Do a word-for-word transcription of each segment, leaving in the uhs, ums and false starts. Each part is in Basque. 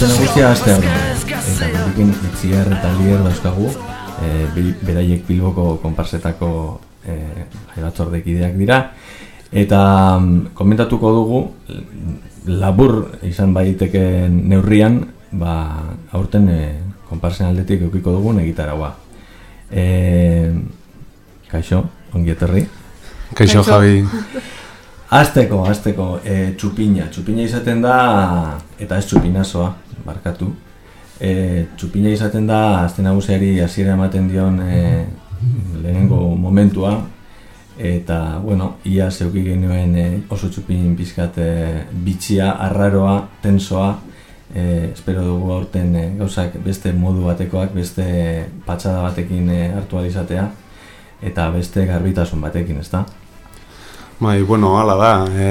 aste nagusia aste hau. Eta gurekin Itziar eta Lier dauzkagu, e, beraiek Bilboko konparsetako e, jaibatzordekideak dira. Eta komentatuko dugu, labur izan baiteken neurrian, ba, aurten e, konparsen aldetik eukiko dugun egitaragua. E, kaixo, ongi etorri. Kaixo, Javi. Azteko, azteko, e, txupina. Txupina izaten da, eta ez txupinazoa, barkatu. E, txupina izaten da, azte nagusiari hasiera ematen dion e, lehenengo momentua. Eta, bueno, ia zeuki genuen e, oso txupin pizkat e, bitxia, arraroa, tensoa. E, espero dugu aurten e, gauzak beste modu batekoak, beste patxada batekin e, hartu ahal izatea. Eta beste garbitasun batekin, ezta? Bai, bueno, hala da. E,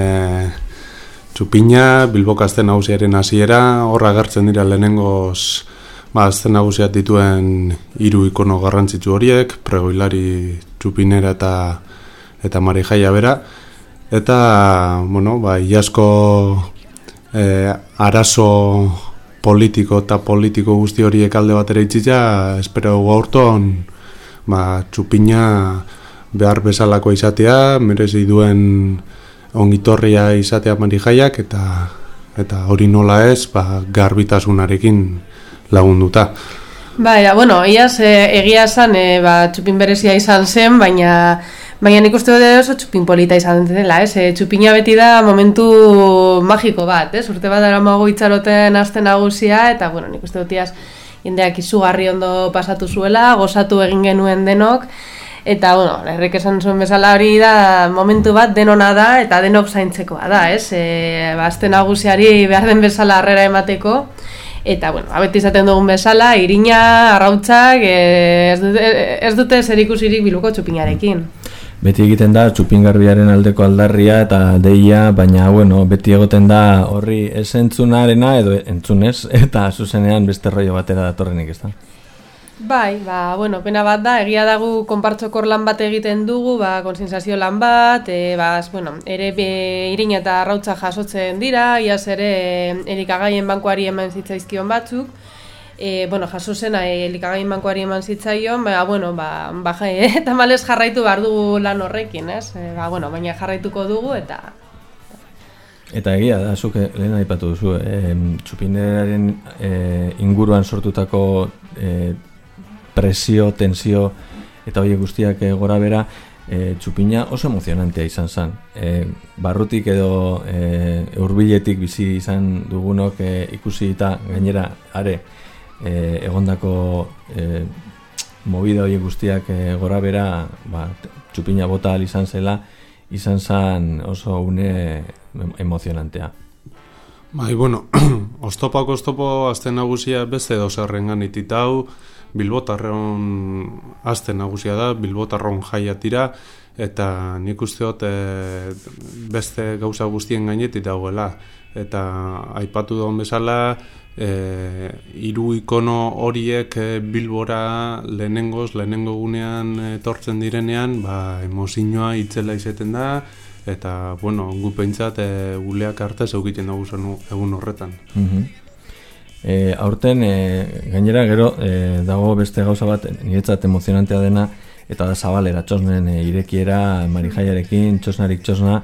txupina, Bilboko azte nagusiaren hasiera, horra agertzen dira lehenengoz, ba, azte nagusiak dituen hiru ikono garrantzitsu horiek, pregoilari, txupinera eta eta marijaia bera. Eta, bueno, ba, iasko e, arazo politiko eta politiko guzti horiek alde batera itxita, espero gaurton, ba, txupina behar bezalako izatea, merezi duen ongitorria izatea marijaiak, eta eta hori nola ez, ba, garbitasunarekin lagunduta. Baina, bueno, iaz e, egia esan, e, ba, txupin berezia izan zen, baina baina nik uste dut oso txupin polita izan dela, ez? E, txupina beti da momentu magiko bat, ez? Urte bat daramago itxaroten aste nagusia, eta, bueno, nik uste dut iaz jendeak izugarri ondo pasatu zuela, gozatu egin genuen denok, eta, bueno, herrek esan zuen bezala hori da momentu bat denona da eta denok zaintzekoa da, ez? E, ba, aste nagusiari behar den bezala harrera emateko, eta, bueno, abeti izaten dugun bezala, irina, arrautzak, e, ez dute, ez dute zerikusirik Bilboko txupinarekin. Beti egiten da txupingarbiaren aldeko aldarria eta deia, baina, bueno, beti egoten da horri ez entzunarena edo entzunez, eta zuzenean beste rollo batera datorrenik, ez da? Bai, ba, bueno, pena bat da, egia dagu konpartzokor lan bat egiten dugu, ba, konsinsazio lan bat, e, ba, bueno, ere be, irina eta arrautza jasotzen dira, iaz ere elikagaien bankuari eman zitzaizkion batzuk, e, bueno, jaso zena elikagaien bankuari eman zitzaion, ba, bueno, ba, ba eta malez jarraitu behar dugu lan horrekin, ez? E, ba, bueno, baina jarraituko dugu, eta... Eta egia da, zuk lehen aipatu duzu, e, txupineraren e, inguruan sortutako e, presio, tensio eta horiek guztiak e, gora bera, e, txupina oso emozionantea izan zen. E, barrutik edo e, hurbiletik bizi izan dugunok e, ikusi eta gainera are e, egondako e, movida horiek guztiak e, gora bera, ba, txupina bota ahal izan zela, izan zen oso une emozionantea. Bai, bueno, oztopak oztopo azte nagusia beste dozerrengan ititau, Bilbotarron azte nagusia da, Bilbotarron jaia tira, eta nik uste dut e, beste gauza guztien gainetik dagoela. Eta aipatu daun bezala, e, hiru ikono horiek e, Bilbora lehenengoz, lehenengo gunean etortzen direnean, ba, emozioa itzela izeten da, eta, bueno, gu pentsat e, guleak arte zeukiten dugu egun horretan. Mm-hmm. E, aurten, e, gainera gero e, dago beste gauza bat niretzat emozionantea dena, eta da zabalera, txosnen e, irekiera marijaiarekin, txosnarik txosna,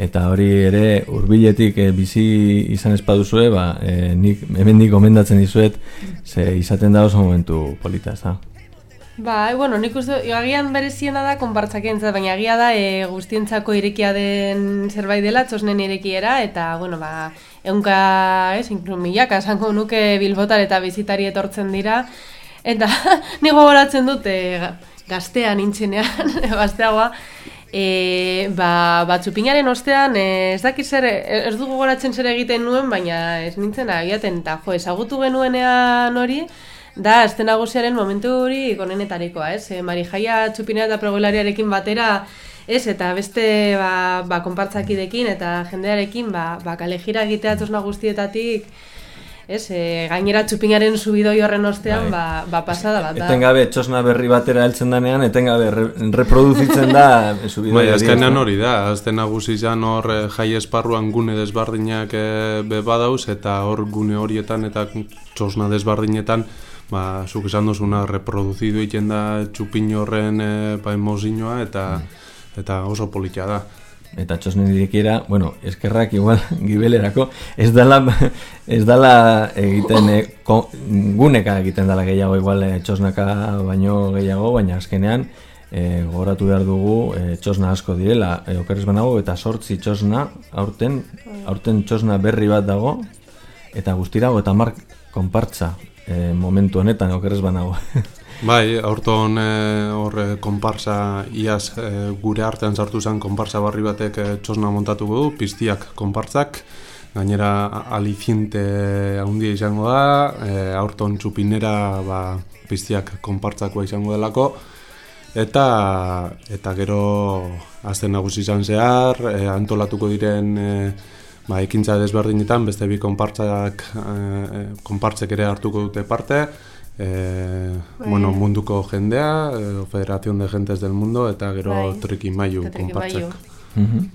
eta hori ere hurbiletik e, bizi izan espaduzue, ba, e, nik hemendik gomendatzen dizuet, ze izaten da oso momentu polita, ez da? Ba, e, bueno, nik uste, agian bereziena da konpartzakentzat, baina agia da e, guztientzako irekia den zerbait dela, txosnen irekiera, eta, bueno, ba, eunka, ez, inklu milaka, esango nuke Bilbotar eta bizitari etortzen dira, eta nigo goratzen dut, e, gaztea nintzenean, gazteagoa, e, ba, ba, txupinaren ostean, e, ez dakit zer, ez dugu goratzen zer egiten nuen, baina ez nintzen agiaten, eta jo, ezagutu genuenean hori, da, azte nagusiaren momentu hori gonenetarikoa, ez? E, marijaia txupina eta pregoilariarekin batera, ez? Eta beste ba, ba, konpartzakidekin eta jendearekin ba, ba, kalejira egitea txosna guztietatik ez, e, gainera txupinaren subidoi horren ostean, ba, ba pasada bat da. Etengabe txosna berri batera heltzen danean, etengabe re, reproduzitzen da subidoi. Bai, azkenean hori da, azten nagusi izan hor jai esparruan gune desbardinak e, be badauz, eta hor gune horietan eta txosna desbardinetan, ba, zuk esan duzuna reproduzidu egiten da txupin horren e, ba, emozinoa, eta, eta oso politia da. Eta txosnen irekiera, bueno, eskerrak igual gibelerako, ez dala, ez dala egiten, e, ko, guneka egiten dala gehiago, igual e, txosnaka baino gehiago, baina azkenean e, gogoratu behar dugu e, txosna asko direla, e, okerrez banago, eta sortzi txosna, aurten, aurten txosna berri bat dago, eta guztirago, eta mark konpartza e, momentu honetan, okerrez banago. Bai, aurton hor e, konparsa iaz e, gure artean sartu zen konparsa barri batek e, txosna montatuko du, piztiak konpartzak, gainera aliciente handia izango da, e, aurton txupinera ba, piztiak konpartzakoa izango delako, eta eta gero azten nagusi izan zehar, e, antolatuko diren e, ba, ekintza desberdinetan, beste bi konpartzak, e, konpartzek ere hartuko dute parte, Eh, bueno, munduko jendea, eh, Federación de Gentes del Mundo, eta gero bai. Trikimailu konpartzak. Mm-hmm.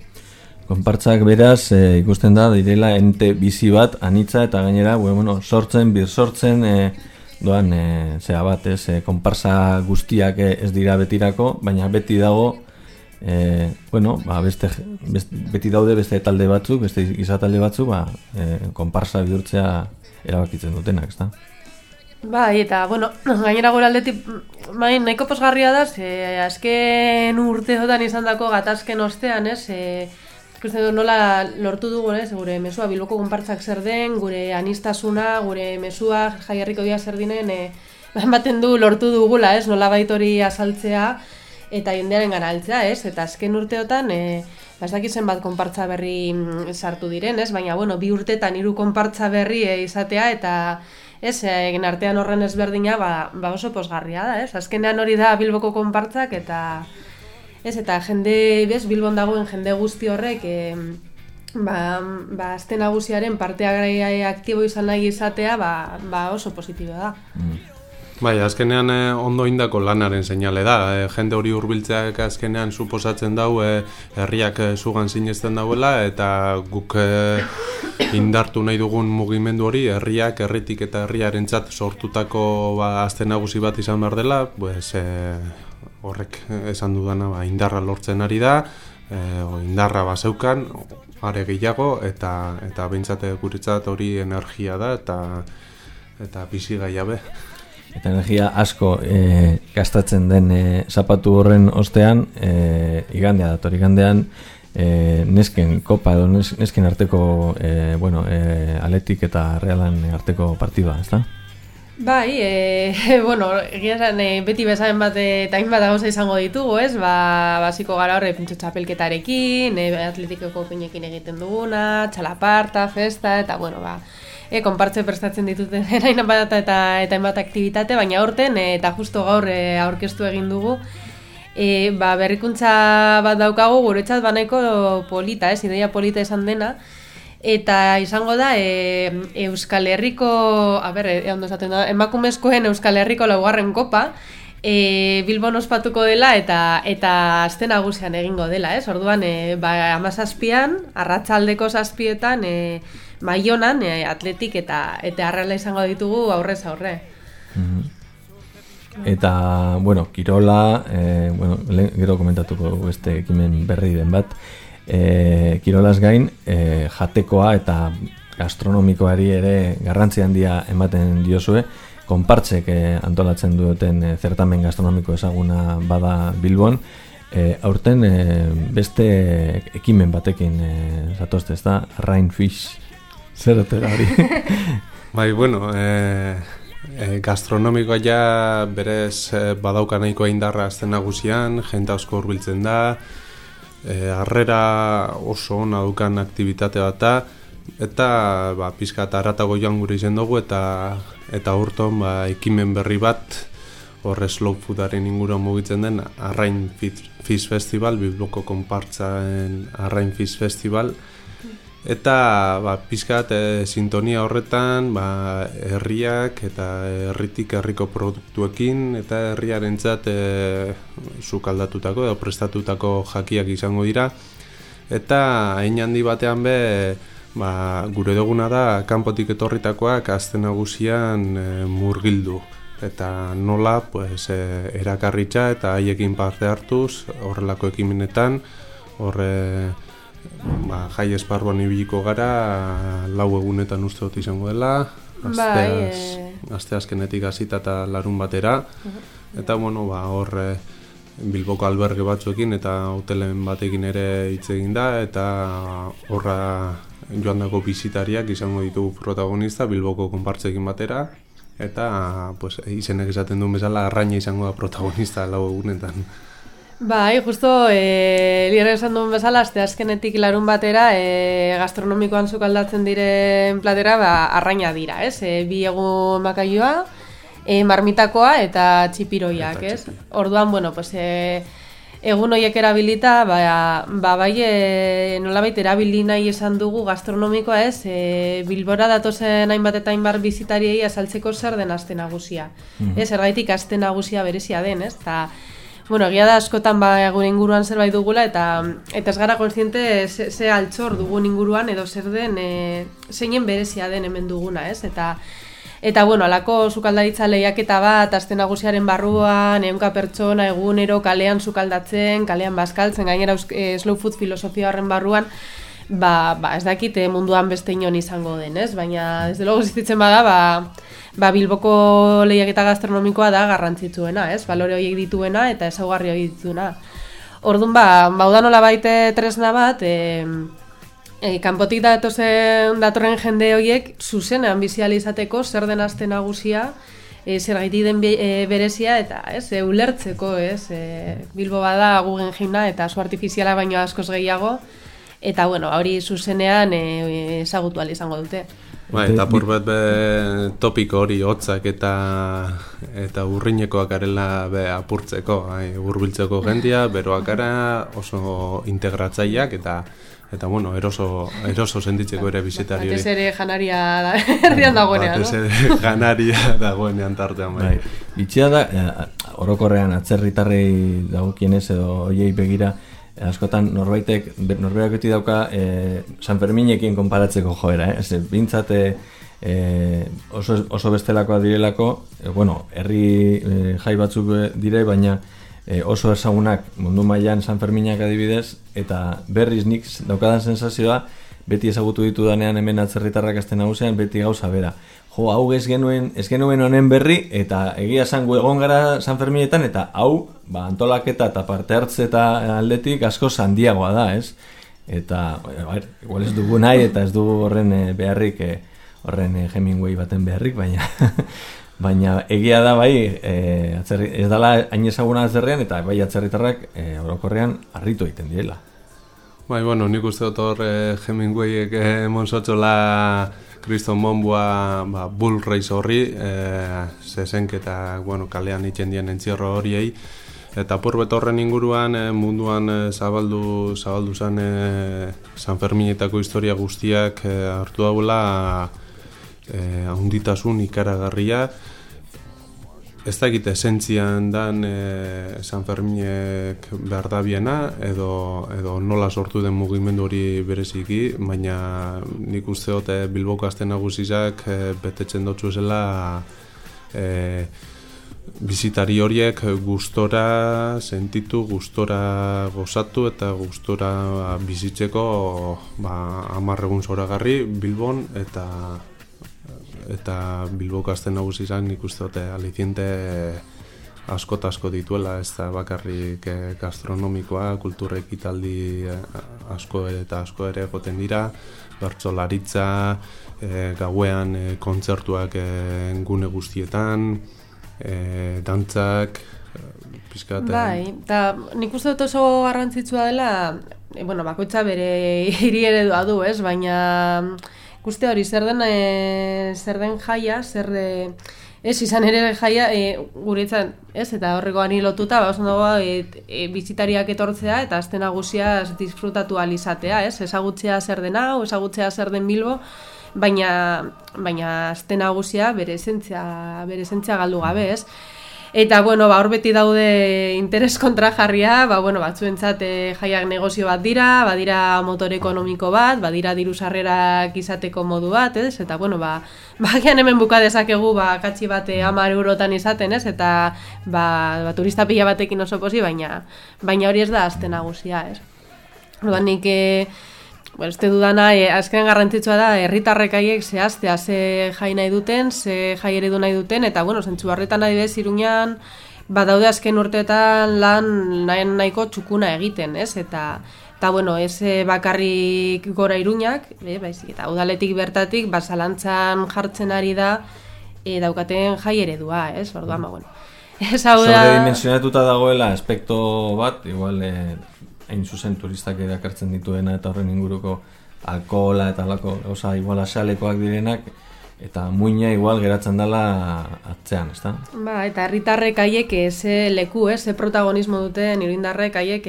Konpartzak beraz, e, ikusten da, direla ente bizi bat, anitza, eta gainera, bueno, sortzen, bir sortzen, e, doan, e, zera bat, ez, e, konpartza guztiak ez dira betirako, baina beti dago, e, bueno, ba, beste, beste, beti daude beste talde batzuk, beste giza talde batzuk, ba, e, konpartza bihurtzea erabakitzen dutenak, ez da? Bai, eta, bueno, gainera gure aldetik, bai, nahiko posgarria da, ze, azken urteotan izan dako gatazken ostean, ez, e, ikusten du nola lortu dugu, ez, gure mesua Bilboko konpartzak zer den, gure anistasuna, gure mesua Jaiherriko dia zer dinen, e, ematen du lortu dugula, ez, nola baitori azaltzea, eta jendearen gana altzea, ez, eta azken urteotan, e, ez dakizen bat konpartza berri sartu diren, ez, baina, bueno, bi urtetan hiru konpartza berri e, izatea, eta ez, egin artean horren ezberdina, ba, ba oso posgarria da, ez? Azkenean hori da Bilboko konpartzak, eta ez, eta jende, bez, Bilbon dagoen jende guzti horrek, e, ba, ba, azte nagusiaren parteagaia aktibo izan nahi izatea, ba, ba oso positibo da. Mm. Bai, azkenean eh, ondo indako lanaren seinale da. Eh, jende hori hurbiltzeak azkenean suposatzen dau eh, herriak eh, zugan sinesten dauela, eta guk eh, indartu nahi dugun mugimendu hori herriak, herritik eta herriarentzat sortutako ba, azte nagusi bat izan behar dela, pues, eh, horrek esan dudana ba, indarra lortzen ari da, eh, indarra bazeukan, are gehiago, eta, eta behintzate guretzat hori energia da, eta, eta bizi gaiabe. Eta energia asko e, gastatzen den e, zapatu horren ostean, e, igandea dator, igandean e, nesken kopa edo nesken arteko e, bueno, e, Atletik eta Realan arteko partida, ezta? Bai, e, bueno, egia esan, e, beti bezaen bat eta hainbat gauza izango ditugu, ez? Ba, basiko gara horre pintxo txapelketarekin, e, Atletikeko pinekin egiten duguna, txalaparta, festa, eta bueno, ba, E, konpartze prestatzen dituten hain bat eta eta hainbat aktibitate, baina aurten e, eta justo gaur e, aurkeztu egin dugu. E, ba, berrikuntza bat daukagu guretzat banaiko polita, ez, ideia polita izan dena. Eta izango da e, Euskal Herriko, a ber, e, ondo esaten da, emakumezkoen Euskal Herriko laugarren kopa, e, Bilbon ospatuko dela eta eta aste nagusian egingo dela, ez? Orduan, e, ba, hamazazpian, arratsaldeko zazpietan, e, Baionan, e, Atletik eta eta Arrela izango ditugu aurrez aurre. Mm-hmm. Eta, bueno, kirola, e, bueno, gero komentatuko beste ekimen berri den bat, e, kirolaz gain, e, jatekoa eta gastronomikoari ere garrantzi handia ematen diozue, konpartzek e, antolatzen duten e, zertamen gastronomiko ezaguna bada Bilbon, e, aurten e, beste ekimen batekin e, zatozte, ez da, Rain Fish. Zer otera hori? Bai, bueno, e, e, gastronomikoa ja berez e, badauka nahikoa indarra azten nagusian, jente asko hurbiltzen da, e, harrera oso ona dukan aktibitate bat da, eta ba, pizka eta haratago joan gure izen dugu, eta eta urton ba, ekimen berri bat, horre slow foodaren inguruan mugitzen den, Arrain Fish Festival, Bilboko konpartzaen Arrain Fish Festival, Eta ba, pizkat e, sintonia horretan ba, herriak eta herritik herriko produktuekin eta herriarentzat e, sukaldatutako edo prestatutako jakiak izango dira. Eta hein handi batean be ba, gure duguna da kanpotik etorritakoak aste nagusian e, murgildu. Eta nola pues, e, erakarritza eta haiekin parte hartuz horrelako ekimenetan horre ba, jai esparruan ibiliko gara lau egunetan uste dut izango dela asteaz, bai, aste azkenetik hasita eta larun batera eta bueno, ba, hor Bilboko alberge batzuekin eta hotelen batekin ere hitz egin da eta horra joandako bisitariak izango ditugu protagonista Bilboko konpartzekin batera eta pues, izenek esaten duen bezala arraina izango da protagonista lau egunetan. Bai, justo, e, lirra esan duen bezala, azte azkenetik larun batera, e, gastronomikoan sukaldatzen diren platera, ba, arraina dira, ez? E, bi egun makaioa, e, marmitakoa eta txipiroiak, ez? Orduan, bueno, pues, e, egun horiek erabilita, ba, ba bai, e, nolabait erabili nahi esan dugu gastronomikoa, ez? E, Bilbora datozen hainbat eta hainbat bizitariei azaltzeko zer den aste nagusia. Mm-hmm. Ez, ergaitik aste nagusia berezia den, ez? Ta, bueno, egia da askotan ba, gure inguruan zerbait dugula eta eta ez gara kontziente ze, ze altxor dugun inguruan edo zer den e, zeinen berezia den hemen duguna, ez? Eta eta bueno, alako sukaldaritza lehiaketa bat aste nagusiaren barruan ehunka pertsona egunero kalean sukaldatzen, kalean bazkaltzen, gainera e, slow food filosofia horren barruan ba, ba ez dakit munduan beste inon izango den, ez? Baina desde luego zitzen bada, ba Ba, Bilboko lehiaketa gastronomikoa da garrantzitsuena, ez? Balore horiek dituena eta ezaugarri horiek dituena. Orduan, ba, bauda nola baite tresna bat, e, e, kanpotik datozen datorren jende horiek zuzenean bizializateko zer den aste nagusia, e, zer gaiti den be, e, berezia eta ez, e, ulertzeko, ez? E, Bilbo bada Guggenheimna eta su artifiziala baino askoz gehiago, eta bueno, hori zuzenean e, ezagutu ahal izango dute. Ba, eta purbet be topiko hori hotzak eta eta urrinekoak arela be apurtzeko, ai, hurbiltzeko jendia, beroak ara oso integratzaileak eta eta bueno, eroso eroso sentitzeko ere bisitari hori. Batez ere janaria da, herrian dagoenean, no? Batez ere janaria dagoenean tartean bai. Bitxia da, orokorrean atzerritarrei dagokienez edo hoiei begira askotan norbaitek, norberak beti dauka e, San Ferminekin konparatzeko joera, eh? Ez, bintzat e, oso, oso bestelakoa direlako, e, bueno, herri e, jai batzuk dire, baina e, oso ezagunak mundu mailan San Ferminak adibidez, eta berriz nik daukadan sensazioa, beti ezagutu ditu danean hemen atzerritarrak aste nagusian, beti gauza bera. Jo, hau ez genuen, ez genuen honen berri, eta egia zango egon gara San Ferminetan, eta hau, ba, antolaketa eta parte hartze eta aldetik asko handiagoa da, ez? Eta, bai, igual ez dugu nahi, eta ez dugu horren e, beharrik, e, horren e, Hemingway baten beharrik, baina baina egia da, bai, e, atzerri, ez dala hain ezaguna atzerrian, eta bai atzerritarrak e, orokorrean harritu egiten direla. Bai, bueno, nik uste dut hor eh, Hemingwayek eh, monsotxola Kriston Monbua ba, Bull Race horri, eh, zezenk eta bueno, kalean itxen dien entzierro horiei. Eta purbet horren inguruan eh, munduan eh, zabaldu, zabaldu zen eh, San Ferminetako historia guztiak eh, hartu daula eh, ahonditasun ikaragarria. Ez dakit esentzian dan e, San Ferminek behar da biena, edo, edo nola sortu den mugimendu hori bereziki, baina nik uste dut e, Bilboko aste nagusizak e, betetzen dutzu zela e, bizitari horiek gustora sentitu, gustora gozatu eta gustora bizitzeko ba, hamar egun zoragarri Bilbon eta eta Bilboko aste nagusi izan nik uste dute aliciente asko eta asko dituela, ez da bakarrik gastronomikoa, kultura ekitaldi asko eta asko ere egoten dira, bertsolaritza, e, gauean e, kontzertuak e, gune guztietan, e, dantzak, pizkat. Bai, eta nik uste dut oso garrantzitsua dela, e, bueno, bakoitza bere hiri eredua du, ez, baina Guste hori, zer den, e, zer den jaia, zer de, Ez, izan ere jaia, e, guretzan, ez, eta horreko ani lotuta, ba, oso dago, e, e, bizitariak etortzea, eta azte nagusia disfrutatu alizatea, ez, ezagutzea zer den hau, ezagutzea zer den Bilbo, baina, baina azte nagusia bere esentzia, bere esentzia galdu gabe, ez. Eta, bueno, ba, hor beti daude interes kontrajarria, ba, bueno, batzuentzat e, jaiak negozio bat dira, badira motor ekonomiko bat, badira diru sarrerak izateko modu bat, ez? Eta, bueno, ba, bagian hemen buka dezakegu, ba, katxi bat hamar eurotan izaten, ez? Eta, ba, ba, turista pila batekin oso posi, baina, baina hori ez da azte nagusia, ez? Orduan nik, e, bueno, este dudana, e, azken garrantzitsua da, herritarrek haiek zehaztea ze jai nahi duten, ze jai eredu nahi duten, eta, bueno, zentzu horretan adibidez Iruñan, badaude azken urteetan lan nahi nahiko txukuna egiten, ez? Eta, eta bueno, ez bakarrik gora Iruñak, e, baizik, eta udaletik bertatik, basalantzan jartzen ari da, e, daukaten jai eredua, ez? Orduan, ba, bueno. Ez hau da... Sobredimensionatuta dagoela aspekto bat, igual... E... hain zuzen turistak erakartzen dituena eta horren inguruko alkohola eta alako, oza, igual asalekoak direnak, eta muina igual geratzen dela atzean, ezta? Ba, eta herritarrek haiek ze leku, ez, ze protagonismo duten iruindarrek haiek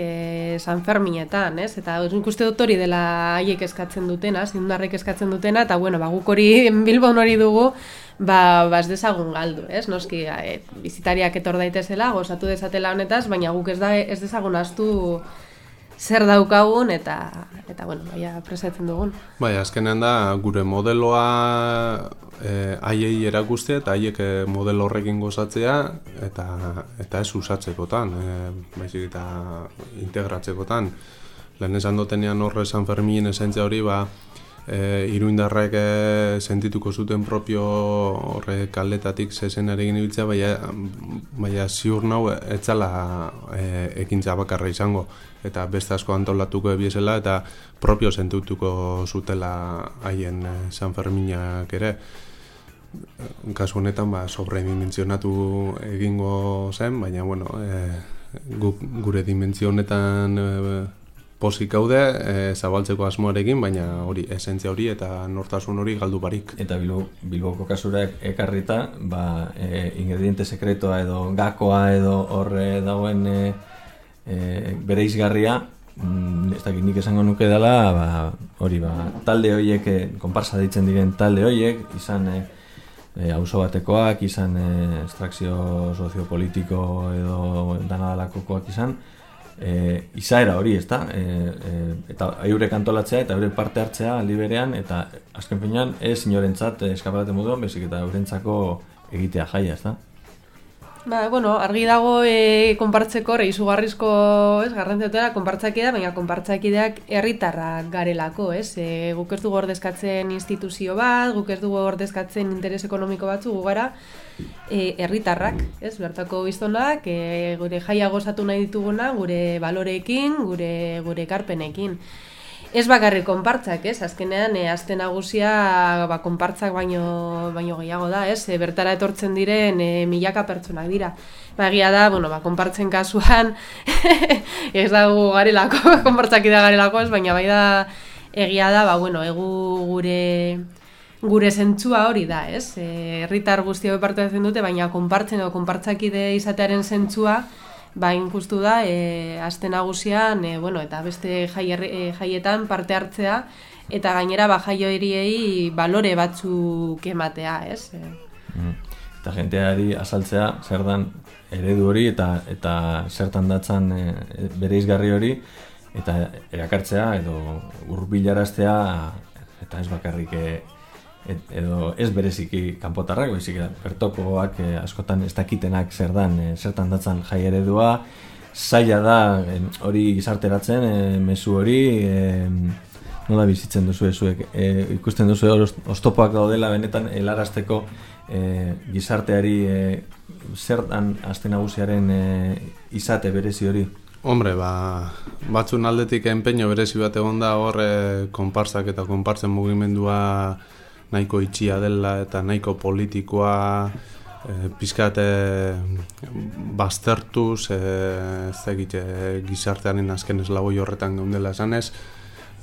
San Ferminetan, ez? Eta nik uste dut hori dela haiek eskatzen dutena, iruindarrek eskatzen dutena, eta bueno, ba, guk hori Bilbon hori dugu, ba, ba ez dezagun galdu, ez? Noski, e, bizitariak etor daitezela, gozatu dezatela honetaz, baina guk ez, da, ez dezagun astu zer daukagun eta eta bueno, baia presatzen dugun. Bai, azkenean da gure modeloa eh haiei erakustea eta haiek modelo horrekin gozatzea eta eta ez usatzekotan, eh baizik eta integratzekotan. Lehen esan dutenean horre San Ferminen esentzia hori, ba E, iruindarrek e, sentituko zuten propio horre kaldetatik zezenarekin ibiltzea, baina, baina ziur nau etzala e, ekintza bakarra izango, eta beste asko antolatuko ebiesela eta propio sentituko zutela haien e, San Ferminak ere. Kasu honetan ba, sobredimensionatu egingo zen, baina bueno, e, gu, gure dimentsio honetan e, posik gaude, e, zabaltzeko asmoarekin, baina hori esentzia hori eta nortasun hori galdu barik. Eta Bilbo, Bilboko kasura ekarrita, ba, e, ingrediente sekretoa edo gakoa edo horre dagoen e, e, bere izgarria, mm, ez dakit nik esango nuke dela, ba, hori ba, talde horiek, e, konparsa ditzen diren talde horiek, izan e, e, auzo batekoak, izan e, estrakzio soziopolitiko edo danadalakokoak izan, E, izaera hori, ezta? E, e, eta eurek antolatzea eta eurek parte hartzea aldi berean, eta azken finean ez inorentzat eskaparate moduan, bezik eta eurentzako egitea jaia, ezta? Ba, bueno, argi dago e, konpartzeko, izugarrizko, ez, garrantzatera konpartzakidea, baina konpartzakideak herritarrak garelako, ez? E, guk ez dugu ordezkatzen instituzio bat, guk ez dugu ordezkatzen interes ekonomiko batzu, gu gara e, herritarrak, ez? Bertako biztonak, e, gure jaia gozatu nahi dituguna, gure baloreekin, gure gure ekarpenekin. Ez bakarrik konpartzak, ez? Azkenean, e, azte nagusia ba, konpartzak baino, baino gehiago da, ez? E, bertara etortzen diren e, milaka pertsonak dira. Ba, egia da, bueno, ba, konpartzen kasuan, ez dago garelako, konpartzakidea garelako, ez? Baina bai da, egia da, ba, bueno, egu gure... Gure zentzua hori da, ez? Herritar e, guztia parte hartzen dute, baina konpartzen edo konpartzakide izatearen zentzua, bain justu da, e, azte nagusian, e, bueno, eta beste jai, e, jaietan parte hartzea, eta gainera ba jai horiei balore batzuk ematea, ez? E. Mm. Eta jenteari azaltzea zer dan eredu hori eta eta zertan datzan e, bere izgarri hori, eta erakartzea edo hurbilaraztea eta ez bakarrik e, Et, edo ez bereziki kanpotarrak, baizik bertokoak e, askotan ez dakitenak zer dan, e, zertan datzan jai eredua, zaila da e, hori gizarteratzen, e, mezu hori, e, nola bizitzen duzu ezuek, e, ikusten duzu oztopoak daudela benetan helarazteko e, gizarteari e, zer dan azte nagusiaren e, izate berezi hori? Hombre, ba, batzun aldetik enpeño berezi bat egon da hor e, konpartzak eta konpartzen mugimendua nahiko itxia dela eta nahiko politikoa e, pizkat e, baztertuz e, ez egite gizartearen azken eslaboi horretan geundela esanez,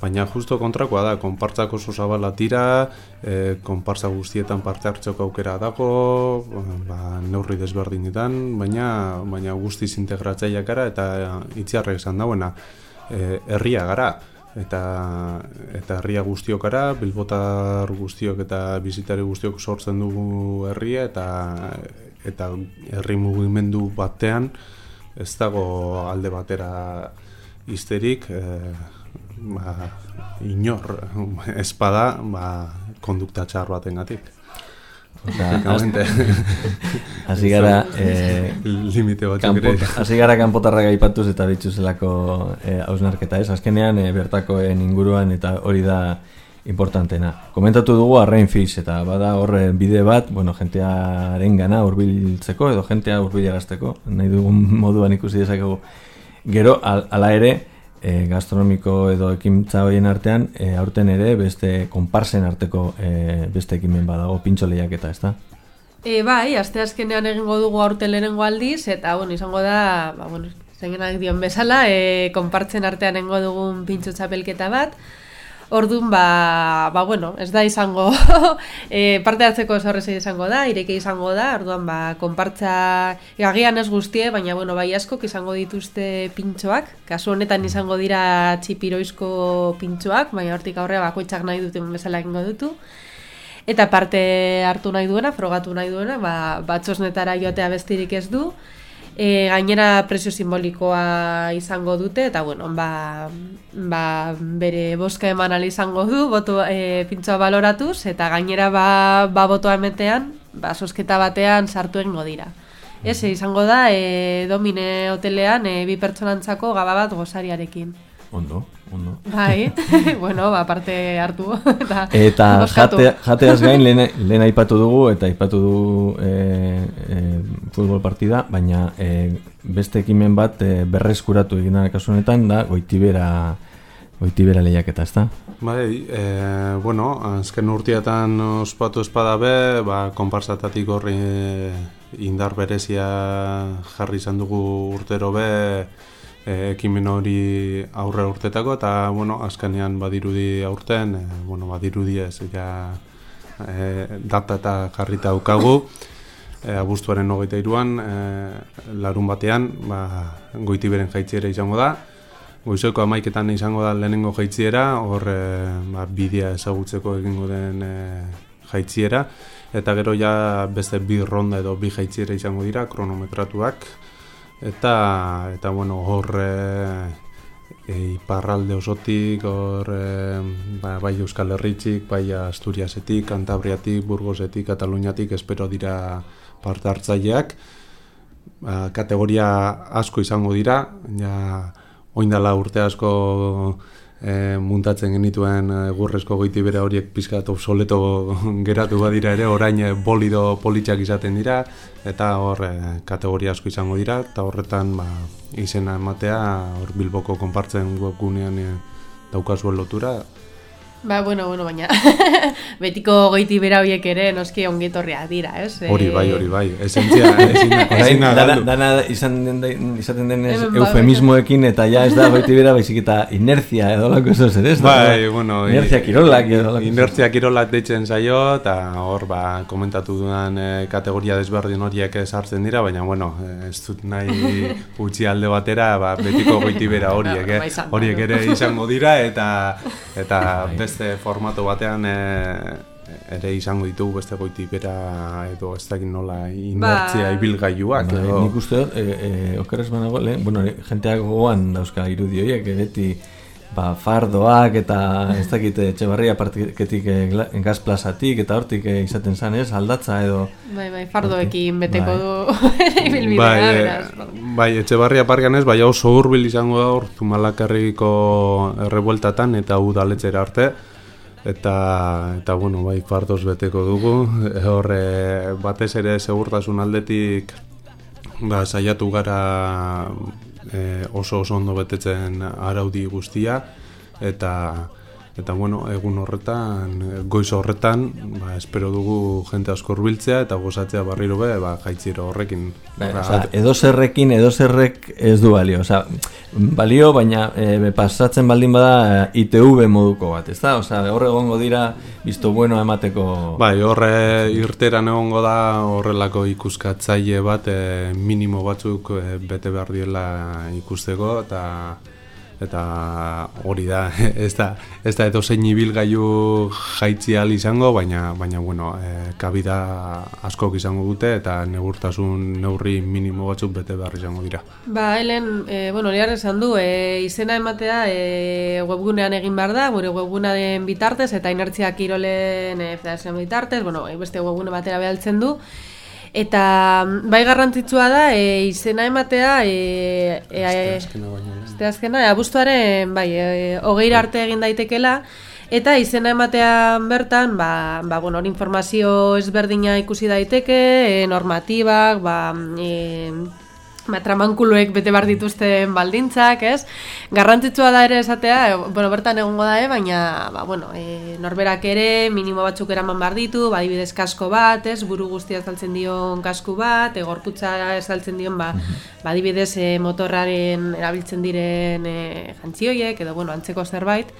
baina justo kontrakoa da, konpartzak oso zabala tira, e, konpartza guztietan parte hartzeko aukera dago, ba, neurri desberdinetan, baina, baina guztiz integratzaileak gara eta itziarrek esan dauena, e, herria gara. Eta, eta herria guztiok gara, bilbotar guztiok eta bizitari guztiok sortzen dugu herria eta, eta herri mugimendu batean ez dago alde batera izterik, e, ba, inor espada ba, kondukta txar batengatik. Hasi gara eh, limite batzuk ere. Hasi gara kanpotarrak aipatuz eta bitzuzelako hausnarketa, ez? Azkenean e, bertakoen inguruan eta hori da importantena. Komentatu dugu Arrain Fish eta bada hor bide bat, bueno, jentearen gana hurbiltzeko edo jentea hurbilarazteko, nahi dugun moduan ikusi dezakegu. Gero hala ere E, gastronomiko edo ekintza horien artean, e, aurten ere beste konparsen arteko e, beste ekimen badago, pintxo lehiaketa, ez da? E, bai, aste azkenean egingo dugu aurten lehenengo aldiz, eta bueno, izango da, ba, bueno, zengenak dion bezala, e, konpartzen artean egingo dugun pintxo txapelketa bat. Orduan, ba, ba, bueno, ez da izango, e, parte hartzeko zorrezei izango da, ireke izango da, orduan, ba, konpartza, agian ez guztie, baina, bueno, bai askok izango dituzte pintxoak, kasu honetan izango dira txipiroizko pintxoak, baina hortik aurrea bakoitzak nahi duten bezala egingo dutu, eta parte hartu nahi duena, frogatu nahi duena, ba, batxosnetara joatea bestirik ez du, E, gainera presio simbolikoa izango dute eta bueno, ba, ba, bere boska eman ahal izango du boto, e, pintxoa baloratuz eta gainera ba, ba botoa emetean ba, sosketa batean sartu egingo dira. Ez, izango da e, Domine hotelean e, bi pertsonantzako gaba bat gozariarekin. Ondo, ondo. Bai, bueno, ba, parte hartu. Eta, eta jate, jateaz gain lehen, lehen aipatu dugu eta aipatu dugu e, e, futbol partida, baina e, beste ekimen bat e, berreskuratu egin da kasu honetan da Goitibera, Goitibera lehiaketa, ezta? Bai, e, bueno, azken urteetan ospatu espada be, ba, konparsatatik horri indar berezia jarri izan dugu urtero be, E, ekimen hori aurre urtetako eta bueno, azkenean badirudi aurten, e, bueno, badirudi ez ja, e, data eta jarrita daukagu e, abuztuaren hogeita hiruan e, larun batean ba, Goitiberen jaitziera izango da, goizeko hamaiketan izango da lehenengo jaitziera, hor e, ba, bidea ezagutzeko egingo den e, jaitziera eta gero ja beste bi ronda edo bi jaitziera izango dira kronometratuak. Eta, eta bueno, hor e, e, iparralde osotik, hor e, ba, bai Euskal Herritxik, bai Asturiasetik, Kantabriatik, Burgosetik, Kataluniatik, espero dira parte hartzaileak. Ba, kategoria asko izango dira, ja, oindala urte asko e, muntatzen genituen e, gurrezko Goitibera horiek pizkat obsoleto geratu badira ere, orain e, bolido politxak izaten dira, eta hor e, kategoria asko izango dira, eta horretan ba, izena ematea, hor Bilboko konpartzen webgunean e, daukazuen lotura. Ba, bueno, bueno, baina betiko Goitibera horiek ere noski ongetorriak dira, ez? Hori bai, hori bai, esentzia, ezin dana, dana izan den, izaten denez eufemismoekin eta ja ez da Goitibera baizik eta inertzia edo lako eso zer ez? Bai, bueno, inertzia kirolak edo lako. Inertzia kirolak deitzen zaio eta hor ba, komentatu dudan e, kategoria desberdin horiek sartzen dira, baina bueno, ez dut nahi utzi alde batera ba, betiko Goitibera horiek, eh? horiek ere izango dira eta eta beste formato batean e, ere izango ditugu beste Goitibera edo ez dakit nola inertzia ba, ibilgailuak. Ba, nik uste dut, e, e, okeres banago, lehen, bueno, jenteak gogoan dauzka irudi horiek, beti ba, fardoak eta ez dakit Etxebarria partiketik gaz plazatik eta hortik izaten zan ez, aldatza edo... Bai, bai, fardoekin beteko du ibilbidea, bai, beraz. Bai, Etxebarria parkean ez, bai oso hurbil izango da hor Zumalakarriko errebueltatan eta udaletxera arte. Eta, eta bueno, bai, fardoz beteko dugu. Hor, e, batez ere segurtasun aldetik ba, saiatu gara e, oso oso ondo betetzen araudi guztia eta eta bueno, egun horretan, goiz horretan, ba, espero dugu jente asko hurbiltzea eta gozatzea barriro be, ba, jaitziro horrekin. Ba, oza, edo zerrekin, edo zerrek ez du balio, oza, balio, baina e, pasatzen baldin bada I T V moduko bat, ez da? Oza, horre egongo dira, bizto bueno emateko... Bai, horre irteran egongo da horrelako ikuskatzaile bat, e, minimo batzuk e, bete behar diela ikusteko, eta... eta hori da, ez da, ez da edo zein ibilgailu jaitzi ahal izango, baina, baina bueno, e, kabida askok izango dute eta neurtasun neurri minimo batzuk bete behar izango dira. Ba, helen, e, bueno, hori esan du, e, izena ematea e, webgunean egin behar da, gure webgunearen bitartez eta Inertzia Kirolen e, federazioan bitartez, bueno, beste webgune batera behaltzen du. Eta bai garrantzitsua da e, izena ematea e, e, e, azkena, abuztuaren bai, e, hogeira arte egin daitekela eta izena ematean bertan ba, ba, bueno, informazio ezberdina ikusi daiteke, e, normatibak, ba, e, ba, tramankuluek bete bar dituzten baldintzak, ez? Garrantzitsua da ere esatea, e, bueno, bertan egongo da, e, baina ba, bueno, e, norberak ere minimo batzuk eraman bar ditu, ba, adibidez kasko bat, ez? Buru guztia estaltzen dion kasku bat, e, gorputza estaltzen dion, ba, ba adibidez e, motorraren erabiltzen diren e, jantzioiek, edo bueno, antzeko zerbait.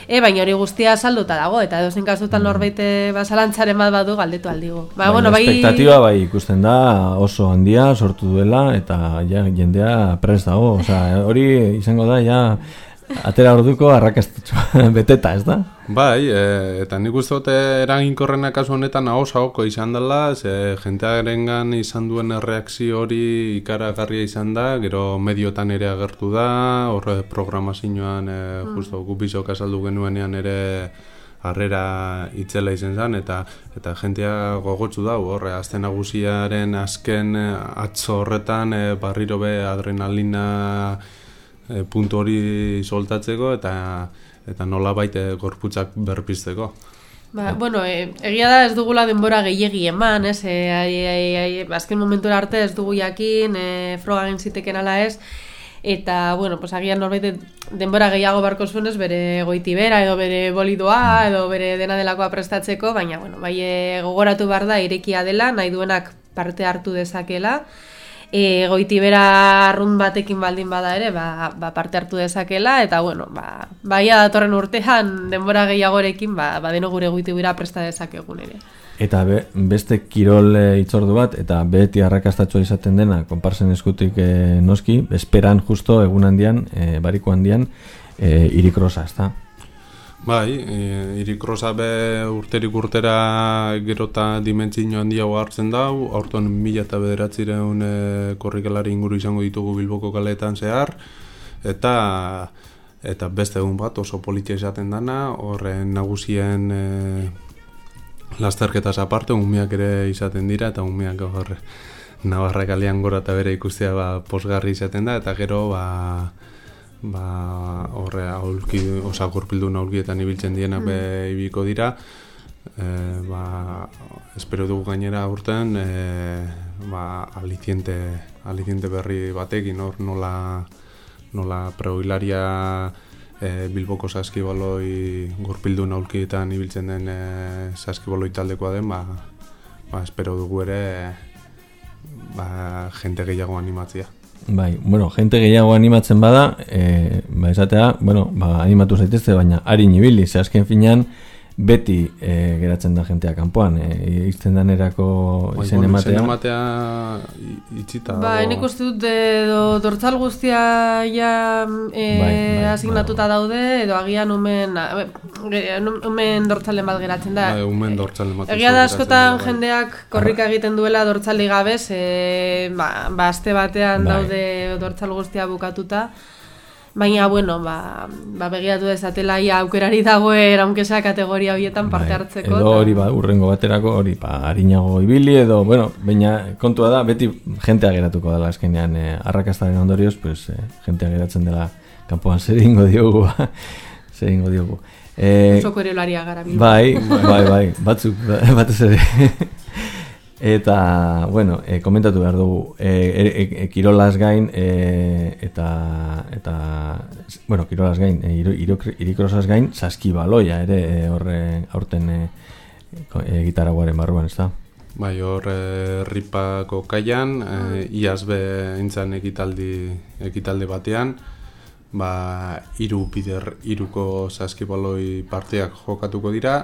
E, baina hori guztia salduta dago, eta edozein kasutan norbait basalantzaren bat badu galdetu aldigu. Ba, bueno, bai... Espektatiba bai ikusten da oso handia sortu duela, eta ja, jendea prest dago. Osa, hori izango da, ja, atera orduko arrakastatxua beteta, ez da? Bai, e, eta nik uste dute eraginkorrena kasu honetan ahosahoko izan dela, ze jentearengan izan duen erreakzio hori ikaragarria izan da, gero mediotan ere agertu da, horre programazioan e, mm. justo gupizok azaldu genuenean ere harrera itzela izan zen, eta eta jentea gogotsu dau, horre, azte nagusiaren azken atzo horretan e, barriro be adrenalina e, puntu hori soltatzeko, eta eta nola baite gorputzak berpizteko. Ba, bueno, e, egia da ez dugula denbora gehiegi eman, ez? E, ai, ai, ai, azken momentura arte ez dugu jakin, e, froga egin ziteken ala ez, eta, bueno, pues agian norbait denbora gehiago barko zuen ez, bere goitibera, edo bere bolidoa, edo bere dena delakoa prestatzeko, baina, bueno, bai e, gogoratu behar da irekia dela, nahi duenak parte hartu dezakela, E, goitibera arrun batekin baldin bada ere, ba, ba parte hartu dezakela, eta bueno, ba, baia datorren urtean denbora gehiagorekin, ba, ba deno gure goitibera presta dezakegun ere. Eta be, beste kirol e, itzordu bat, eta beti arrakastatxoa izaten dena, konparsen eskutik e, noski, esperan justo egun handian, e, bariko handian, e, irikrosa, ez da? Bai, e, irikrosa be urterik urtera gerota dimentsio handiago hartzen dau, aurton mila eta bederatzireun e, korrikalari inguru izango ditugu Bilboko kaleetan zehar, eta eta beste egun bat oso politia izaten dana, horren nagusien e, lasterketaz aparte, umeak ere izaten dira, eta umeak horre Navarra kalean gora eta bere ikustea ba, posgarri izaten da, eta gero ba... ba horre aulki, osa gorpildun aulkietan ibiltzen dienak be ibiko dira, e, ba espero dugu gainera aurten e, ba aliciente aliciente berri batekin hor nola nola preoilaria e, Bilboko saskibaloi gorpildun aulkietan ibiltzen den e, saskibaloi taldekoa den, ba, ba espero dugu ere ba jente gehiago animatzea. Bai, bueno, jente gehiago animatzen bada, e, ba, esatea, bueno, ba, animatu zaitezte, baina harin ibili, ze azken finean, beti e, geratzen da jentea kanpoan, e, izten danerako bai, izen bueno, ematea. Izen ematea itxita. Ba, enik uste dut, edo dortzal guztia ja e, bai, bai, asignatuta bai, daude, edo agian umen, umen dortzalen bat geratzen da. Bai, umen dortzalen bat. Egia da askotan bai, jendeak korrika egiten duela dortzali gabez, e, ba, ba, aste batean bai, daude dortzal guztia bukatuta. Baina, bueno, ba, ba begiatu dezatela ia aukerari dagoen, aunkezea kategoria horietan parte hartzeko. Edo hori, ba, urrengo baterako, hori, ba, harinago ibili, edo, bueno, baina kontua da, beti jentea geratuko dela azkenean, eh, arrakastaren ondorioz, pues, eh, jentea geratzen dela kanpoan zer ingo diogu, zer ingo diogu. Eh, Oso korelaria gara. Bai, bai, bai, batzuk, batez ere. Eta, bueno, e, komentatu behar dugu, e, e, e, kirolaz gain, e, eta, eta, bueno, kirolaz gain, e, irikrosaz gain, saskibaloia ere e, horre aurten e, e, gitaraguaren barruan, ez da? Bai, hor e, Ripako kaian, e, iaz behintzan ekitaldi, ekitaldi batean, ba, iru bider, iruko saskibaloi parteak jokatuko dira,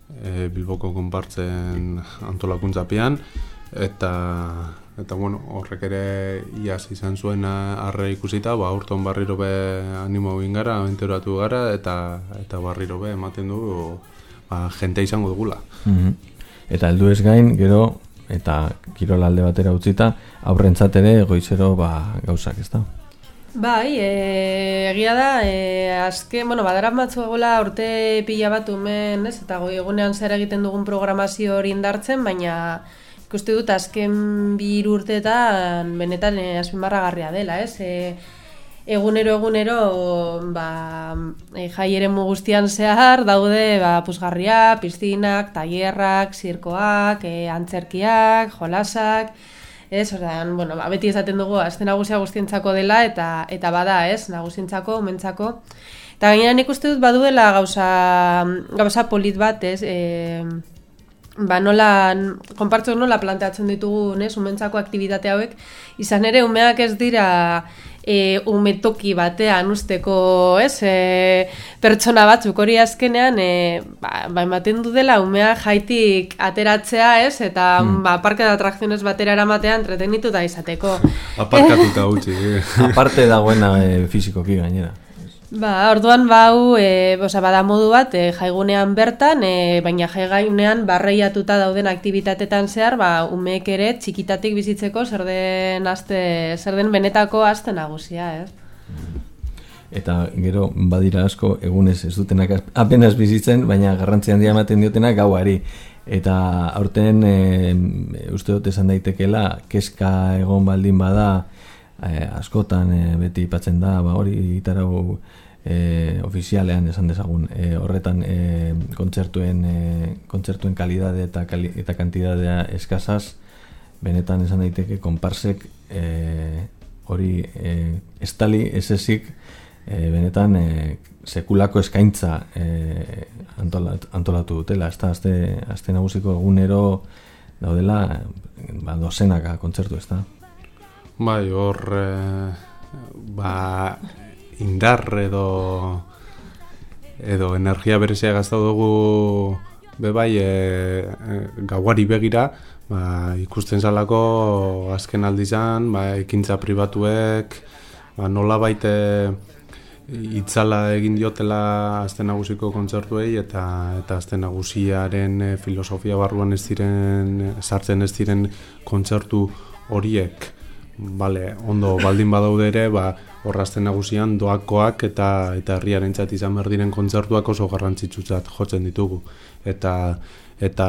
E, Bilboko konpartzen antolakuntzapean eta eta bueno, horrek ere iaz izan zuen arre ikusita, ba urton barriro be animo egin gara, abenturatu gara eta eta barriro be ematen du ba jente izango dugula. Mm-hmm. Eta heldu ez gain, gero eta kirola alde batera utzita, aurrentzat ere goizero ba gauzak, ezta? Bai, e, egia da, e, azken, bueno, badarat matzu egola urte pila bat umen, ez, eta goi egunean zer egiten dugun programazio hori indartzen, baina ikuste dut azken bi hiru urteetan benetan e, azpimarragarria dela, ez, e, egunero egunero ba, e, jai eremu guztian zehar daude ba, puzgarria, piztinak, tailerrak, zirkoak, e, antzerkiak, jolasak. Ez, ordan, bueno, ba, beti esaten dugu aste nagusia guztientzako dela eta eta bada, ez, nagusientzako, umentzako. Eta gainera nik uste dut baduela gauza gauza polit bat, ez, e, ba nola konpartzu nola planteatzen ditugu, ez, umentzako aktibitate hauek, izan ere umeak ez dira E, umetoki batean usteko, ez, e, pertsona batzuk hori azkenean e, ba, ba ematen du dela umea jaitik ateratzea, ez, eta mm. ba, parke de atrakziones batera eramatea entretenitu da izateko. Aparkatuta utzi. Eh? Aparte dagoena e, fizikoki gainera. Ba, orduan bau, e, oza, bada modu bat, e, jaigunean bertan, e, baina jaigunean barreiatuta dauden aktibitatetan zehar, ba, umeek ere txikitatik bizitzeko zer den aste, zer den benetako aste nagusia, ez? Eta gero badira asko egunez ez dutenak apenas bizitzen, baina garrantzi handia ematen diotenak gauari. Eta aurten e, uste dut esan daitekela, kezka egon baldin bada, Eh, askotan eh, beti ipatzen da, ba, hori gitarau eh, ofizialean esan dezagun, eh, horretan eh, kontzertuen eh, kontzertuen kalidade eta kali, eta kantidadea eskasaz, benetan esan daiteke konparsek eh, hori eh, estali esesik eh, benetan eh, sekulako eskaintza eh, antolat, antolatu dutela, ez da, azte, azte nagusiko egunero daudela ba, dozenaka kontzertu, ez da. Bai, hor e, ba, indar edo edo energia berezia gaztau dugu be bai e, e, gauari begira, ba, ikusten zalako azken aldizan, ba, ekintza pribatuek ba, nola baite itzala egin diotela azte nagusiko kontzertuei eta eta azte nagusiaren e, filosofia barruan ez diren sartzen ez diren kontzertu horiek. Vale, ondo baldin badaude ere, ba, horrazten nagusian doakoak eta eta herriarentzat izan behar diren kontzertuak oso garrantzitsutzat jotzen ditugu. Eta eta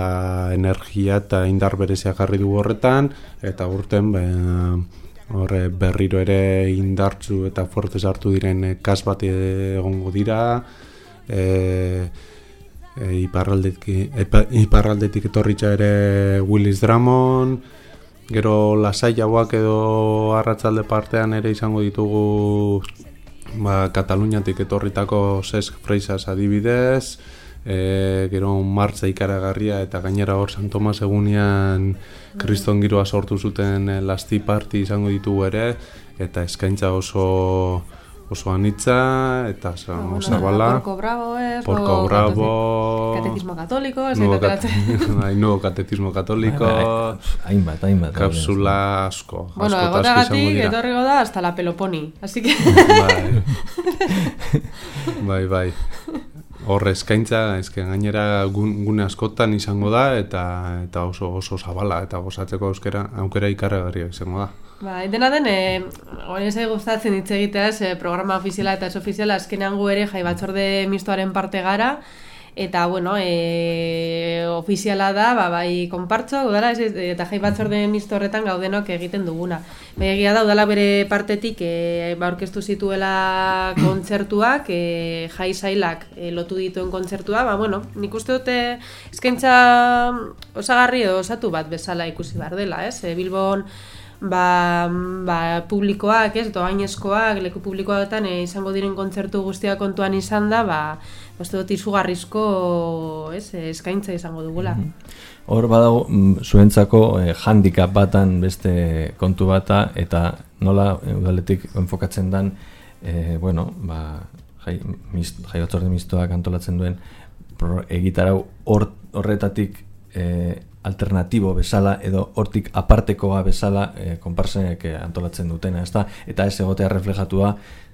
energia eta indar berezia jarri dugu horretan, eta urten be, horre berriro ere indartsu eta fortez hartu diren kas bat egongo dira, e, e, iparraldetik, iparraldetik etorritza ere Willis Drummond, gero lasaiagoak edo arratzalde partean ere izango ditugu ba, Kataluniatik etorritako Cesc Freixas adibidez, e, gero martza ikaragarria eta gainera hor San Tomas egunean kriston giroa sortu zuten e, lasti parti izango ditugu ere, eta eskaintza oso oso anitza eta bueno, zabala. Porco Bravo, ez? Porco Bravo. Catecismo Católico, ez? Nuevo, kat nuevo Catecismo Católico. Hainbat, hainbat. Kapsula asko. Bueno, egotagatik etorriko da hasta la Peloponi. Así que... bai. bai, bai. Hor eskaintza, eske gainera gun, gune askotan izango da eta eta oso oso zabala eta gozatzeko aukera aukera ikaragarria izango da. Ba, dena den, eh, hori zai gustatzen hitz egitea, ez, programa ofiziala eta ez ofiziala, azkenean gu ere jai batzorde mistoaren parte gara, eta, bueno, e, ofiziala da, ba, bai, konpartzo, udala, ez, eta jai batzorde misto horretan gaudenok egiten duguna. Baina egia da, udala bere partetik, e, ba, orkestu zituela kontzertuak, e, jai sailak e, lotu dituen kontzertua, ba, bueno, nik uste dute eskaintza osagarri edo osatu bat bezala ikusi behar dela, ez? E, Bilbon, ba, ba, publikoak, ez, doainezkoak, leku publikoetan e, izango diren kontzertu guztiak kontuan izan da, ba, uste dut izugarrizko, ez, eskaintza izango dugula. Hor badago, zuentzako eh, handicap batan beste kontu bata, eta nola udaletik enfokatzen dan, eh, bueno, ba, jai, mist, jai batzorde mistoak antolatzen duen, pro, egitarau hor, horretatik eh, alternatibo bezala edo hortik apartekoa bezala eh, konparsenek antolatzen dutena, ezta? Eta ez egotea reflejatua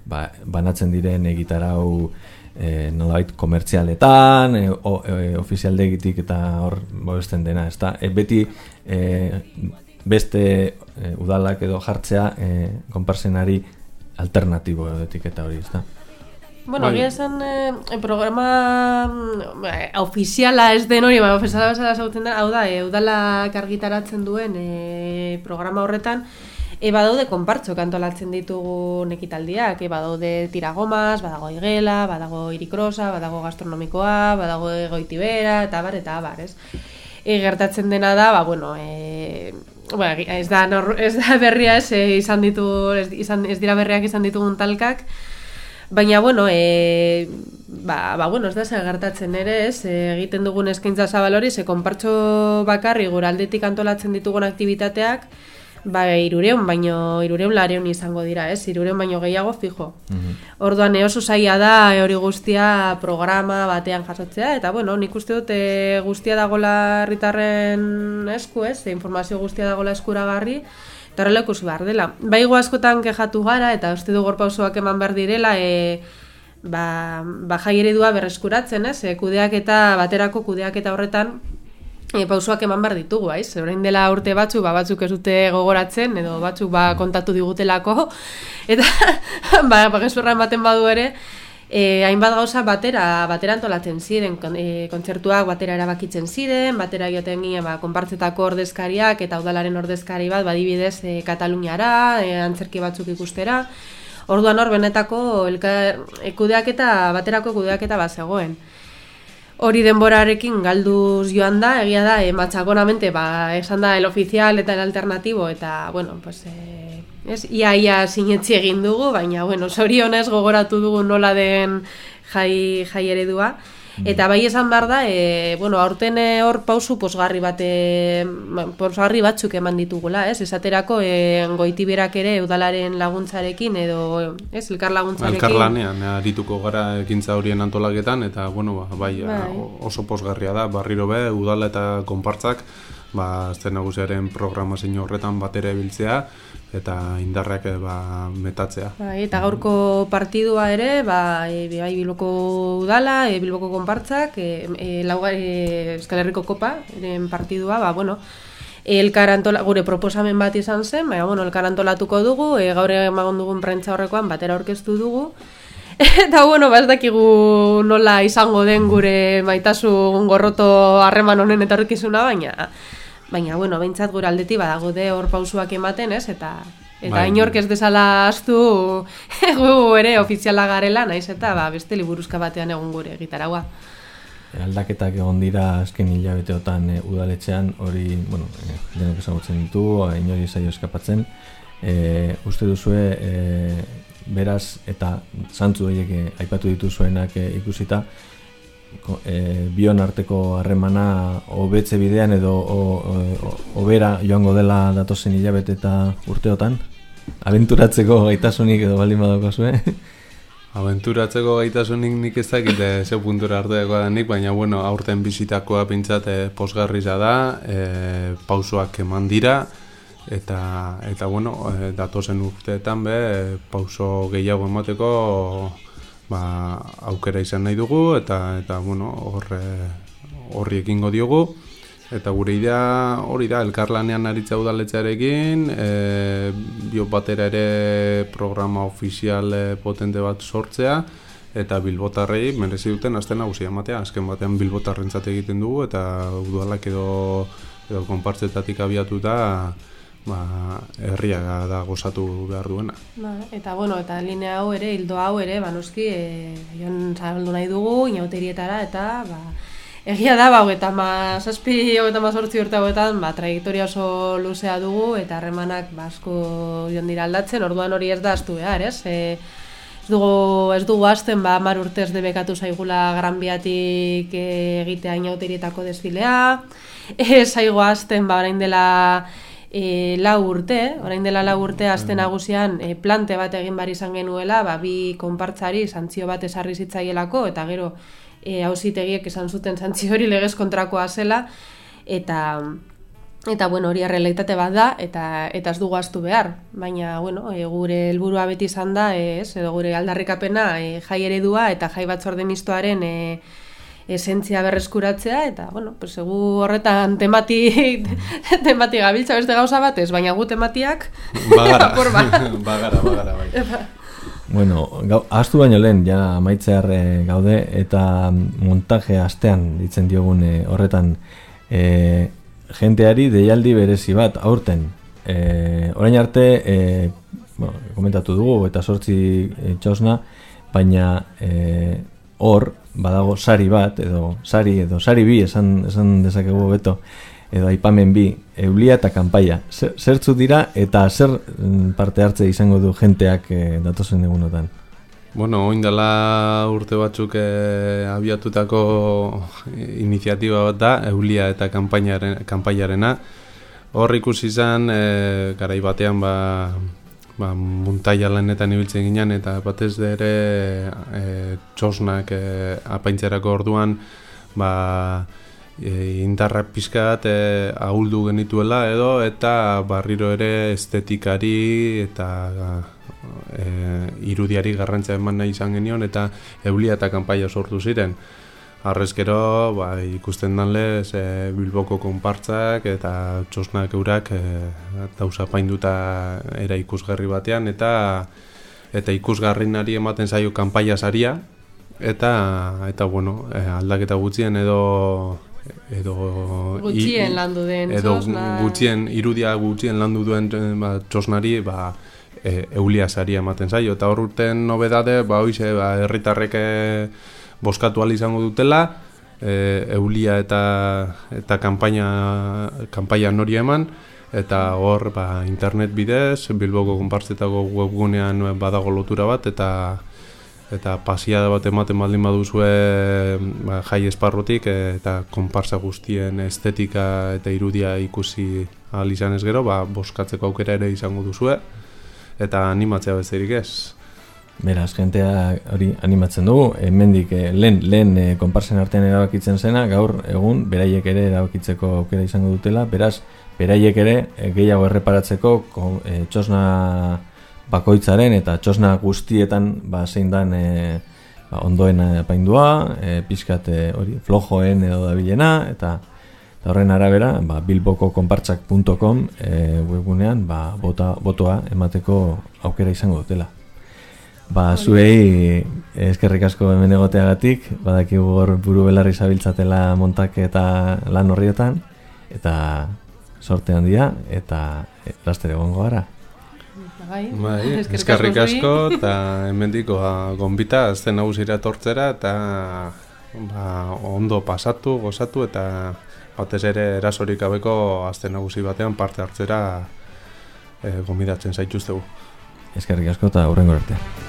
ba, banatzen diren egitarau e, nolabait komertzialetan, e, o, e, ofizialdegitik eta hor bobesten dena, ezta? E, beti e, beste e, udalak edo jartzea e, konparsenari alternatibo etiketa hori, ezta? Bueno, egia esan, eh, programa eh, ofiziala ez den hori, ba, ofiziala bezala zautzen da, hau da, e, udalak argitaratzen duen e, programa horretan, e, badaude konpartzok antolatzen ditugun ekitaldiak, e, badaude tiragomas, badago igela, badago irikrosa, badago gastronomikoa, badago goitibera, eta bar, eta bar, ez? E, gertatzen dena da, ba, bueno, e, ba, ez, da, nor, ez da berria ez, e, izan ditu, ez, izan, ez dira berriak izan ditugun talkak, baina, bueno, e, ba, ba, bueno, ez da zer gertatzen ere, ez, e, egiten dugun eskaintza zabal hori, ze konpartxo bakarri gure aldetik antolatzen ditugun aktivitateak, ba, irureun, baino, irureun lareun izango dira, ez, irureun baino gehiago fijo. Mm-hmm. Orduan, oso zaila da, hori guztia programa batean jasotzea, eta, bueno, nik uste dut e, guztia dagola herritarren esku, ez, e, informazio guztia dagola eskuragarri, eta horrela ikusi behar dela. Baigo askotan kexatu gara, eta uste du gorpausoak eman behar direla, e, ba, ba jai eredua berreskuratzen, ez? E, kudeak eta baterako kudeak eta horretan e, pausoak eman behar ditugu, aiz? Orain dela urte batzuk, ba, batzuk ez dute gogoratzen, edo batzuk ba, kontatu digutelako, eta ba, ba gezurra ematen badu ere, E, hainbat gauza batera, batera antolatzen ziren, e, kontzertuak batera erabakitzen ziren, batera joten ginen ba, konpartzetako ordezkariak eta udalaren ordezkari bat, badibidez e, Kataluniara, e, antzerki batzuk ikustera. Orduan hor benetako elkar, e, kudeaketa, baterako kudeaketa bat zegoen. Hori denborarekin galduz joan da, egia da, e, matxakonamente, ba, esan da el oficial eta el alternatibo, eta, bueno, pues... E, Ez, ia, ia sinetzi egin dugu, baina, bueno, zorionez gogoratu dugu nola den jai, jai eredua. Eta bai esan behar da, e, bueno, aurten hor pausu posgarri bate, posgarri batzuk eman ditugula, ez? Esaterako e, goitiberak ere udalaren laguntzarekin edo, ez, elkar laguntzarekin. Elkar lanean, arituko gara ekintza horien antolaketan, eta, bueno, ba, bai, bai, oso posgarria da, barriro be, udala eta konpartzak, ba, azten nagusiaren programazio horretan batera ebiltzea, eta indarrak ba, metatzea. Bai, eta gaurko partidua ere, ba, e, bai Bilboko udala, e, Bilboko konpartzak, e, e, lauga, e, Euskal Herriko Kopa, eren partidua, ba, bueno, elkar antola, gure proposamen bat izan zen, baina, bueno, elkar antolatuko dugu, e, gaur emagon dugun prentza horrekoan batera aurkeztu dugu, eta, bueno, ba, ez dakigu nola izango den gure maitasun gorroto harreman honen etorkizuna, baina... Baina, bueno, behintzat gure aldetik badago de hor pausuak ematen, ez? Eta, eta bai, inork ez desala astu gu ere ofiziala garela, naiz eta ba, beste liburuzka batean egun gure gitaraua. Aldaketak egon dira azken hilabeteotan e, udaletxean, hori, bueno, e, denok ezagutzen ditu, inori zaio eskapatzen. E, uste duzue, e, beraz, eta zantzu horiek e, aipatu dituzuenak e, ikusita, E, bion arteko harremana hobetze bidean edo hobera joango dela datozen hilabete eta urteotan? Abenturatzeko gaitasunik edo baldin badauko zuen? Abenturatzeko gaitasunik nik ez dakit zeu puntura arteako denik, baina bueno, aurten bizitakoa pintzat e, posgarriza da, e, pausoak eman dira, eta, eta bueno, e, datozen urteetan be, e, pauso gehiago emateko ba, aukera izan nahi dugu, eta, eta bueno, horre, horri ekingo diogu, eta gure idea hori da, elkarlanean aritza udaletxearekin, e, bio batera ere programa ofizial potente bat sortzea, eta bilbotarrei merezi duten aste nagusia ematea. Azken batean bilbotarrentzat egiten dugu eta udalak edo edo konpartzetatik abiatuta ba, herria da gozatu behar duena. Ba, eta bueno, eta linea hau ere, hildo hau ere, ba noski, e, joan zabaldu nahi dugu, inauterietara, eta ba, egia da, ba, hogeita ma zazpi, hogeita ma zortzi urte hauetan, ba, trajektoria oso luzea dugu, eta harremanak ba, asko joan dira aldatzen, orduan hori ez da astu behar, ez? E, ez dugu, ez dugu azten, ba, mar urtez debekatu zaigula Gran Biatik egitea inauterietako desfilea, ez zaigu azten, ba, orain dela E, lau urte, orain dela lau urte azte nagusian e, plante bat egin bar izan genuela, ba, bi konpartzari santzio bat esarri zitzaielako, eta gero e, auzitegiek esan zuten santzio hori legez kontrakoa zela, eta eta bueno, hori errealitate bat da, eta eta ez dugu ahaztu behar, baina bueno, e, gure helburua beti izan da, ez, edo gure aldarrikapena e, jai eredua eta jai batzorde mistoaren e, esentzia berreskuratzea, eta, bueno, pues, egu horretan tematik, tematik gabiltza beste gauza batez, baina gu tematiak bagara, bagara, bagara, bai. Bueno, ahaztu baino lehen, ja amaitzear e, gaude, eta montaje astean ditzen diogun e, horretan e, jenteari deialdi berezi bat aurten. E, orain arte, e, bueno, komentatu dugu, eta sortzi e, txosna, baina e, hor, badago sari bat, edo sari, edo sari bi, esan, esan dezakegu beto, edo aipamen bi, eulia eta kanpaia. Zer, zertzu dira, eta zer parte hartze izango du jenteak e, datozen egunotan? Bueno, oin dela urte batzuk e, abiatutako iniziatiba bat da, eulia eta kanpaiarena. Hor ikusi izan, e, garai batean, ba, ba, muntaia lanetan ibiltzen ginen, eta batez ere e, txosnak e, apaintzerako orduan ba, e, indarra pizkat e, ahuldu genituela edo, eta barriro ere estetikari eta e, irudiari garrantzia eman nahi izan genion, eta eulia eta kanpaia sortu ziren. Arrezkero, ba, ikusten danlez e, Bilboko konpartzak eta txosnak eurak e, dauza painduta era ikusgarri batean, eta eta ikusgarrinari ematen zaio kanpaia saria, eta eta bueno, e, aldaketa gutxien edo edo gutxien i, landu den edo txosna, gutxien irudia gutxien landu duen ba, txosnari ba, e, eulia saria ematen zaio, eta hor urten nobedade, ba hoize, ba herritarrek boskatu ahal izango dutela, e, eulia eta eta kanpaina kanpaia nori eman, eta hor ba, internet bidez, Bilboko konpartzetako webgunean badago lotura bat, eta eta pasiada bat ematen baldin baduzue ba, jai esparrutik, eta konpartza guztien estetika eta irudia ikusi ahal izanez gero, ba, boskatzeko aukera ere izango duzue, eta animatzea besterik ez. Beraz, jentea hori animatzen dugu, hemendik eh, lehen, lehen eh, konparsen artean erabakitzen zena, gaur egun beraiek ere erabakitzeko aukera izango dutela, beraz, beraiek ere eh, gehiago erreparatzeko eh, txosna bakoitzaren eta txosna guztietan ba, zein dan eh, ba, ondoen apaindua, eh, pixkat eh, hori flojoen edo dabilena, eta, eta horren arabera ba, bilboko konpartzak puntu com eh, webgunean ba, bota, botoa emateko aukera izango dutela. Ba, zuei eskerrik asko hemen egoteagatik, badakigu hor buru belarri zabiltzatela montak eta lan horrietan, eta sorte handia, eta laster egongo gara. Bai, bai, eskerrik asko, eta hemendiko gonbita azten nagusira etortzera, eta ba, ondo pasatu, gozatu, eta batez ere erasorik gabeko azten nagusi batean parte hartzera e, gonbidatzen zaituztegu. Eskerrik asko eta hurrengo arte.